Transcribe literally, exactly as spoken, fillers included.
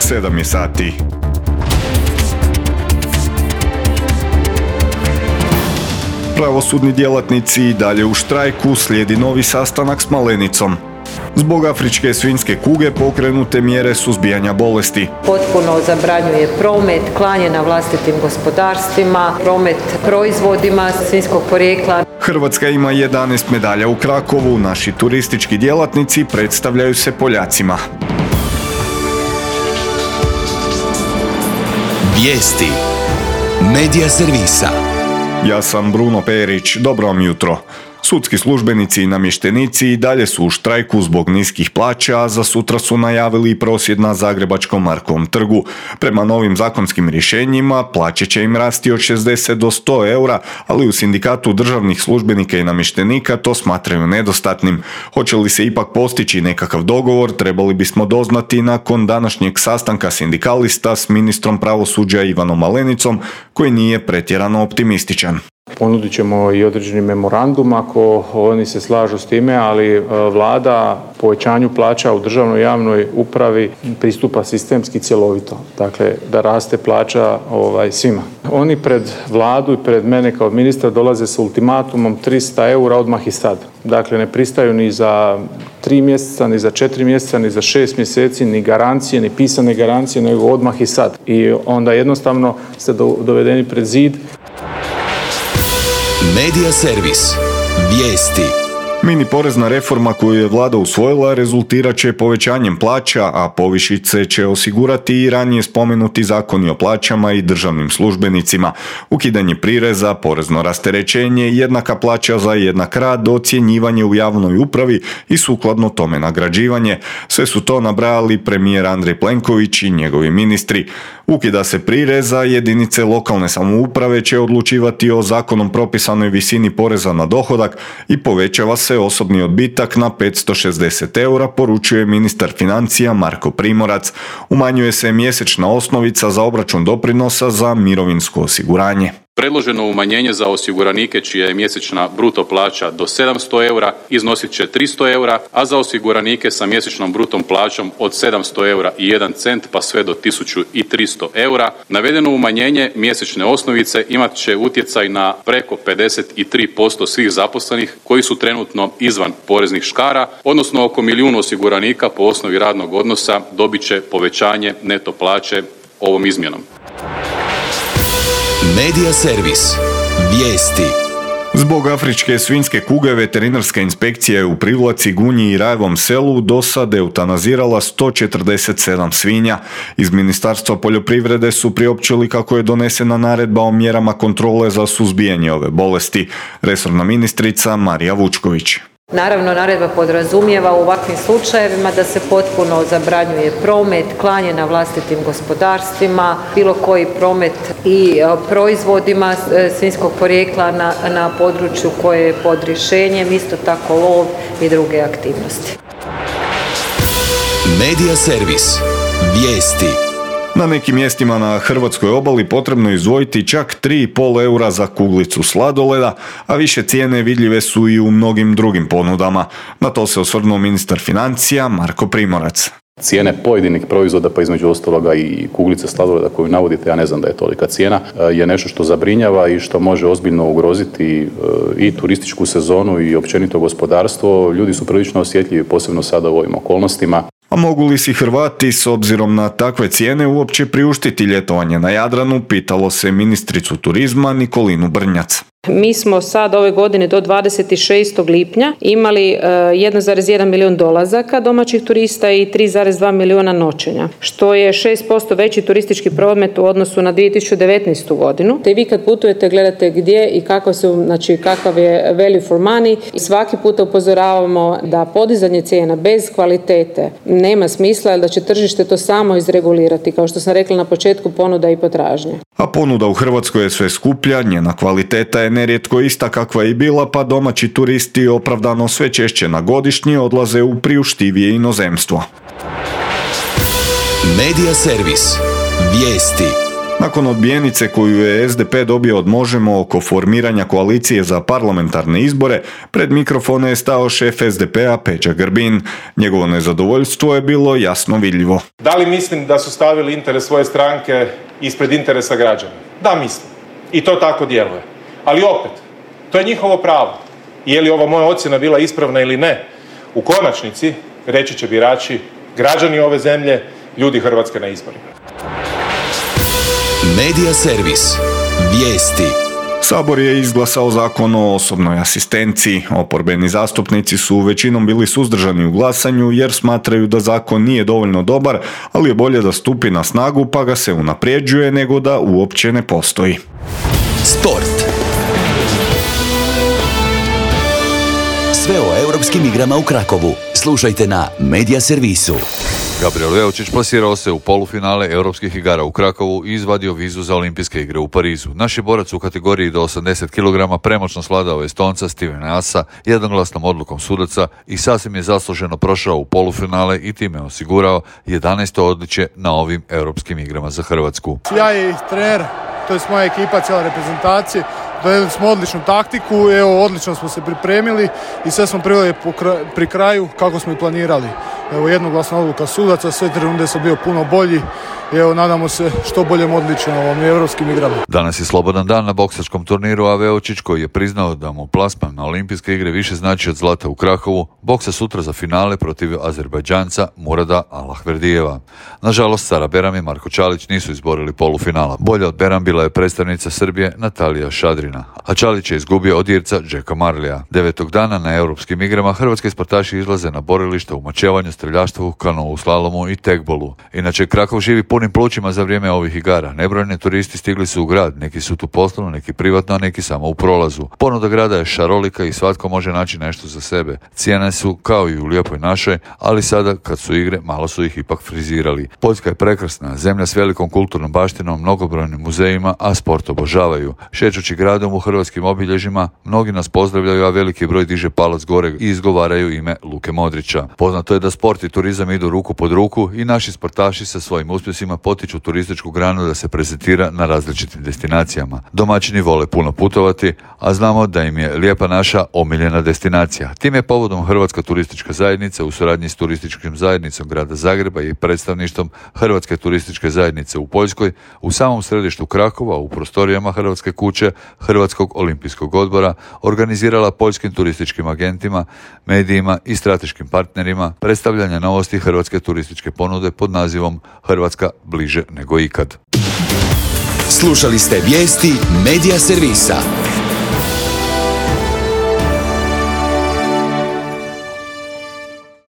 sedam je sati. Pravosudni djelatnici i dalje u štrajku, slijedi novi sastanak s Malenicom. Zbog afričke svinjske kuge pokrenute mjere suzbijanja bolesti. Potpuno zabranjuje promet, klanje na vlastitim gospodarstvima, promet proizvodima svinjskog porijekla. Hrvatska ima jedanaest medalja u Krakovu, naši turistički djelatnici predstavljaju se Poljacima. Vijesti Medija servisa. Ja sam Bruno Perić, dobro vam jutro. Sudski službenici i namještenici i dalje su u štrajku zbog niskih plaća, a za sutra su najavili prosvjed na Zagrebačkom Markovom trgu. Prema novim zakonskim rješenjima plaće će im rasti od šezdeset do sto eura, ali u sindikatu državnih službenika i namještenika to smatraju nedostatnim. Hoće li se ipak postići nekakav dogovor, trebali bismo doznati nakon današnjeg sastanka sindikalista s ministrom pravosuđa Ivanom Malenicom, koji nije pretjerano optimističan. Ponudit ćemo i određeni memorandum ako oni se slažu s time, ali vlada povećanju plaća u državnoj javnoj upravi pristupa sistemski cjelovito. Dakle, da raste plaća ovaj, svima. Oni pred vladu i pred mene kao ministra dolaze sa ultimatumom trista eura odmah i sad. Dakle, ne pristaju ni za tri mjeseca, ni za četiri mjeseca, ni za šest mjeseci, ni garancije, ni pisane garancije, nego odmah i sad. I onda jednostavno ste dovedeni pred zid. Medija servis. Vijesti. Mini porezna reforma koju je vlada usvojila rezultirat će povećanjem plaća, a povišice će osigurati i ranije spomenuti zakoni o plaćama i državnim službenicima. Ukidanje prireza, porezno rasterećenje, jednaka plaća za jednak rad, ocjenjivanje u javnoj upravi i sukladno tome nagrađivanje. Sve su to nabrajali premijer Andrej Plenković i njegovi ministri. Ukida se prireza, jedinice lokalne samouprave će odlučivati o zakonom propisanoj visini poreza na dohodak i povećava se osobni odbitak na petsto šezdeset eura, poručuje ministar financija Marko Primorac. Umanjuje se mjesečna osnovica za obračun doprinosa za mirovinsko osiguranje. Predloženo umanjenje za osiguranike čija je mjesečna bruto plaća do sedamsto eura iznosit će tristo eura, a za osiguranike sa mjesečnom brutom plaćom od sedamsto eura i jedan cent pa sve do tisuću tristo eura. Navedeno umanjenje mjesečne osnovice imat će utjecaj na preko pedeset tri posto svih zaposlenih koji su trenutno izvan poreznih škara, odnosno oko milijun osiguranika po osnovi radnog odnosa dobit će povećanje neto plaće ovom izmjenom. Medija servis. Vijesti. Zbog afričke svinjske kuge veterinarska inspekcija je u Privlaci, Gunji i Rajevom selu do sad eutanazirala sto četrdeset sedam svinja. Iz Ministarstva poljoprivrede su priopćili kako je donesena naredba o mjerama kontrole za suzbijanje ove bolesti. Resorna ministrica Marija Vučković. Naravno, naredba podrazumijeva u ovakvim slučajevima da se potpuno zabranjuje promet, klanje na vlastitim gospodarstvima, bilo koji promet i proizvodima svinjskog porijekla na, na području koje je pod rješenjem, isto tako lov i druge aktivnosti. Medija servis. Vijesti. Na nekim mjestima na hrvatskoj obali potrebno je izdvojiti čak tri i pol eura za kuglicu sladoleda, a više cijene vidljive su i u mnogim drugim ponudama. Na to se osvrnuo ministar financija Marko Primorac. Cijene pojedinih proizvoda, pa između ostaloga i kuglice sladoleda koju navodite, ja ne znam da je tolika cijena, je nešto što zabrinjava i što može ozbiljno ugroziti i turističku sezonu i općenito gospodarstvo. Ljudi su prilično osjetljivi, posebno sada u ovim okolnostima. A mogu li si Hrvati s obzirom na takve cijene uopće priuštiti ljetovanje na Jadranu, pitalo se ministricu turizma Nikolinu Brnjac. Mi smo sad ove godine do dvadeset šestog lipnja imali jedan zarez jedan milijun dolazaka domaćih turista i tri zarez dva milijuna noćenja, što je šest posto veći turistički promet u odnosu na dvije tisuće devetnaestu godinu. Te vi kad putujete gledate gdje i kako su, znači kakav je value for money. I svaki puta upozoravamo da podizanje cijena bez kvalitete nema smisla, da će tržište to samo izregulirati, kao što sam rekla na početku, ponuda i potražnje. A ponuda u Hrvatskoj je sve skuplja, njena kvaliteta je nerijetko ista kakva je bila, pa domaći turisti opravdano sve češće na godišnji odlaze u priuštivije inozemstvo. Medija servis. Vijesti. Nakon odbijenice koju je es de pe dobio od Možemo oko formiranja koalicije za parlamentarne izbore, pred mikrofone je stao šef es de pea Peđa Grbin. Njegovo nezadovoljstvo je bilo jasno vidljivo. Da li mislim da su stavili interes svoje stranke ispred interesa građana? Da, mislim. I to tako djeluje. Ali opet, to je njihovo pravo. Je li ova moja ocjena bila ispravna ili ne? U konačnici reći će birači, građani ove zemlje, ljudi Hrvatske na izborima. Medija servis. Vijesti. Sabor je izglasao zakon o osobnoj asistenciji. Oporbeni zastupnici su većinom bili suzdržani u glasanju jer smatraju da zakon nije dovoljno dobar, ali je bolje da stupi na snagu pa ga se unapređuje nego da uopće ne postoji. Sport. Sve o europskim igrama u Krakovu. Slušajte na Medija servisu. Gabriel Veočić plasirao se u polufinale europskih igara u Krakovu i izvadio vizu za olimpijske igre u Parizu. Naš je borac u kategoriji do osamdeset kilograma premoćno svladao Estonca Stevena Asa jednoglasnom odlukom sudaca i sasvim je zasluženo prošao u polufinale i time osigurao jedanaesto odličje na ovim europskim igrama za Hrvatsku. Ja i trener, to je moja ekipa, cijela reprezentacija, dojeli smo odličnu taktiku, evo odlično smo se pripremili i sve smo priveli pri kraju kako smo i planirali. Evo jednoglasna odluka sudaca, sve tri runde su bio puno bolji i evo nadamo se što boljem odličju na ovom europskim igrama. Danas je slobodan dan na boksačkom turniru, a Veočić koji je priznao da mu plasman na olimpijske igre više znači od zlata u Krakovu, boksa sutra za finale protiv Azerbajdžanca Murada Alahverdijeva. Nažalost, Sara Beram i Marko Čalić nisu izborili polufinala. Bolja od Beram bila je predstavnica Srbije Natalija Šadrina, a Čalić je izgubio od Irca Jacka Marlija. Devetog dana na europskim igrama hrvatski sportaši izlaze na borilište u mačevanju, streljaštvu, kanovu, slalomu i tekbolu. Inače, Krakov živi punim plućima za vrijeme ovih igara. Nebrojni turisti stigli su u grad, neki su tu poslovno, neki privatno, a neki samo u prolazu. Ponuda grada je šarolika i svatko može naći nešto za sebe. Cijene su kao i u lijepoj našoj, ali sada kad su igre, malo su ih ipak frizirali. Poljska je prekrasna, zemlja s velikom kulturnom baštinom, mnogobrojnim muzejima, a sport obožavaju. Šećući gradom u hrvatskim obilježjima, mnogi nas pozdravljaju, a veliki broj diže palac gore i izgovaraju ime Luke Modrića. Poznato je da sport i turizam idu ruku pod ruku i naši sportaši sa svojim uspjesima potiču turističku granu da se prezentira na različitim destinacijama. Domaćini vole puno putovati, a znamo da im je Lijepa naša omiljena destinacija. Tim je povodom Hrvatska turistička zajednica u suradnji s turističkim zajednicom grada Zagreba i predstavništvom Hrvatske turističke zajednice u Poljskoj u samom središtu Krakova u prostorijama Hrvatske kuće Hrvatskog olimpijskog odbora organizirala poljskim turističkim agentima, medijima i strateškim partnerima predstavljanje novosti hrvatske turističke ponude pod nazivom Hrvatska bliže nego ikad. Slušali ste vijesti Medija servisa.